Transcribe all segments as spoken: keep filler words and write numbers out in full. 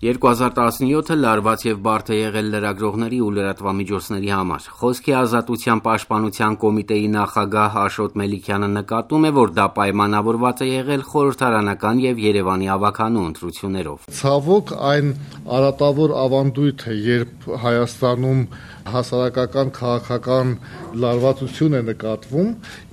երկու հազար տասնյոթը լարված եւ բարդ է եղել լրագրողների ու լրատվամիջոցների համար։ Խոսքի ազատության պաշտպանության կոմիտեի նախագահ Աշոտ Մելիքյանը նկատում է, որ դա պայմանավորված է եղել խորհրդարանական եւ Երևանի ավագանու ընտրություններով։ Ցավոք այն արատավոր ավանդույթ է, երբ Հայաստանում հասարակական քաղաքական լարվածություն է նկատվում,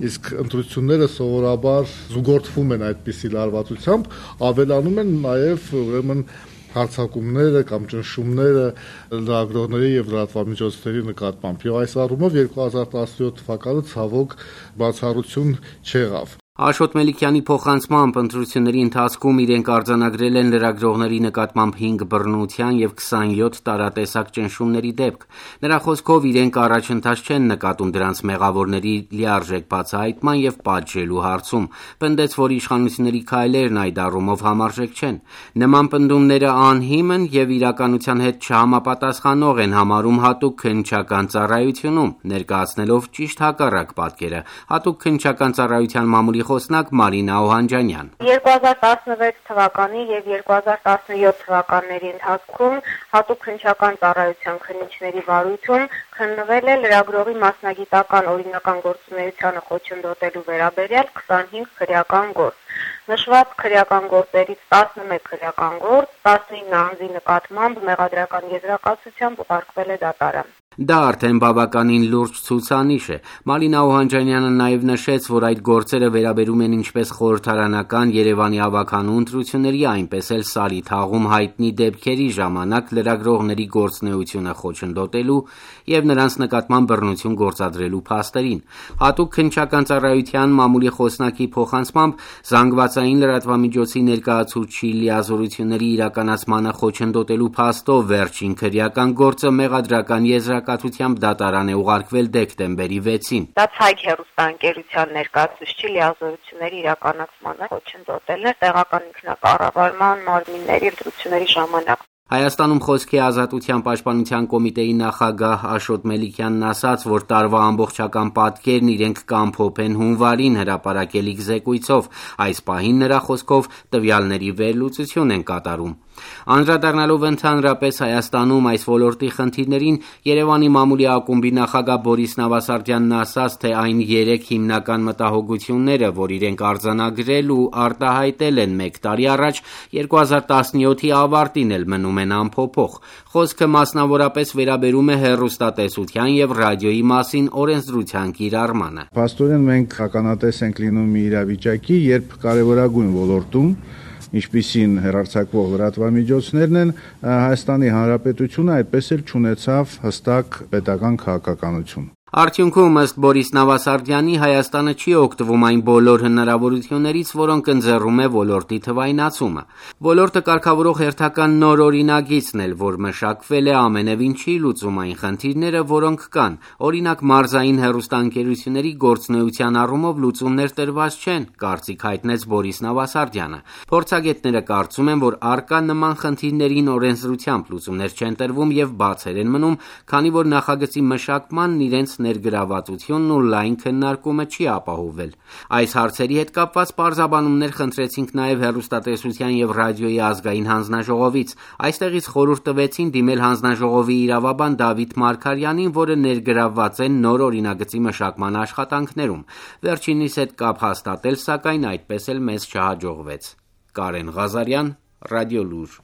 իսկ ընտրությունները սովորաբար զուգորդվում են այդպիսի լարվածությամբ, ավելանում են նաեւ ուրեմն հարձակումները կամ ճնշումները լրագրողների եւ լրատվամիջոցների նկատմամբ։ Եվ այս առումով երկու հազար տասնյոթ թվականը ցավոք բացառություն չեղավ։ Աշոտ Մելիքյանի փոխանցմամբ ընտրությունների ընթացքում իրենք արձանագրել են լրագրողների նկատմամբ հինգ բռնության եւ քսանյոթ տարատեսակ ճնշումների դեպք։ Նրա խոսքով իրենք առաջընթաց չեն նկատում դրանց մեղավորների լիարժեք բացահայտման եւ պատժելու հարցում։ Պնդեց, որ իշխանությունների քայլերն այդ առումով համարժեք չեն։ Նման պնդումները անհիմն եւ իրականության հետ չհամապատասխանող են համարում հատուկ քննչական ծառայությունում, ներկայացնելով ճիշտ հակառակ պատկերը։ Հատուկ քննչական ծառայության մամուլի խոսնակ Մարինա Օհանջանյան։ երկու հազար տասնվեց թվականի եւ երկու հազար տասնյոթ թվականների ընթացքում հատուկ քննչական ծառայության քննիչների վարույթում քննվել է լրագրողի մասնագիտական օրինական գործունեությանը խոչընդոտելու վերաբերյալ քսանհինգ քրեական գործ։ Նշված քրեական գործերից տասնմեկ քրեական գործ, տասնինը անձի նկատմամբ մեղադրական եզրակացությամբ ուղարկվել է դատարան։ Դա արդեն բավականին լուրջ ցուցանիշ է։ Մարինա Օհանջանյանը նաև նշեց, որ այդ գործերը վերաբերում են ինչպես խորհրդարանական Երևանի ավագանու ընտրությունների, այնպես էլ Սարի թաղում հայտնի դեպքերի ժամանակ լրագրողների գործունեությունը խոչընդոտելու եւ նրանց նկատմամբ բռնություն գործադրելու փաստերին։ Հատուկ քննչական ծառայության մամուլի խոսնակի փոխանցմամբ զանգվածային լրատվամիջոցի ներկայացուցիչի լիազորությունների իրականացմանը խոչընդոտելու փաստով վերջին քրեական գործը մեղադրական եզրակացությամբ դատարան է ուղարկվել դեկտեմբերի վեցին։ Դա ցայք հեռուստաընկերության ներկայացուցիչի լիազորությունների իրականացմանը խոչընդոտելն է տեղական ինքնակառավարման մարմինների ընտրությունների ժամանակ։ Հայաստանում խոսքի ազատության պաշտպանության կոմիտեի նախագահ Աշոտ Մելիքյանն ասաց, որ տարվա ամբողջական պատկերն իրենք կամփոփեն հունվարին հրապարակելիք զեկույցով։ Այս պահին նրա խոսքով տվյալների վերլուծություն են կատարում։ Անդրադառնալով ընդհանրապես Հայաստանում այս ոլորտի խնդիրներին, Երևանի մամուլի ակումբի նախագահ Բորիս Նավասարդյանն ասաց, թե այն երեք հիմնական մտահոգությունները, որ իրենք արձանագրել ու արտահայտել են մեկ տարի առաջ, երկու հազար տասնյոթի ավարտին էլ մնում են անփոփոխ։ Խոսքը մասնավորապես վերաբերում է հեռուստատեսության եւ ռադիոյի մասին օրենսդրության կիրառմանը։ Փաստորեն մենք ականատես ենք լինում մի իրավիճակի, երբ կարևորագույն ոլորտում, ինչպիսին հեռարձակվող լրատվամիջոցներն են, Հայաստանի Հանրապետությունը այդպես էլ չունեցավ հստակ պետական քաղաքականություն։ Արդյունքում, ըստ Բորիս Նավասարդյանի, Հայաստանը չի օգտվում այն բոլոր հնարավորություններից, որոնք ընձեռում է ոլորտի թվայնացումը։ Ոլորտը կարգավորող հերթական նոր օրինագիծն էլ, որ մշակվել է, ամենևին չի լուծում այն խնդիրները, որոնք կան։ Օրինակ, մարզային հեռուստաընկերությունների գործունեության առումով լուծումներ տրված չեն, կարծիք հայտնեց Բորիս Նավասարդյանը։ Փորձագետները կարծում են, որ առկա նման խնդիրներին օրենսդրությամբ լուծումներ չեն տրվում եւ բացեր են մնում, քանի որ նախագծի մշակմանն իրենց ներգրավվածությունն ու լայն քննարկումը չի ապահովվել։ Այս հարցերի հետ կապված պարզաբանումներ խնդրեցինք նաև հեռուստատեսության եւ ռադիոյի ազգային հանձնաժողովից։ Այստեղից խորհուրդ տվեցին դիմել հանձնաժողովի իրավաբան Դավիթ Մարգարյանին, որը ներգրավված է նոր օրինագծի մշակման աշխատանքներում։ Վերջինիս հետ կապ հաստատել, սակայն այդպես էլ մեզ չհաջողվեց։ Կարեն Ղազարյան, Ռադիոլուր։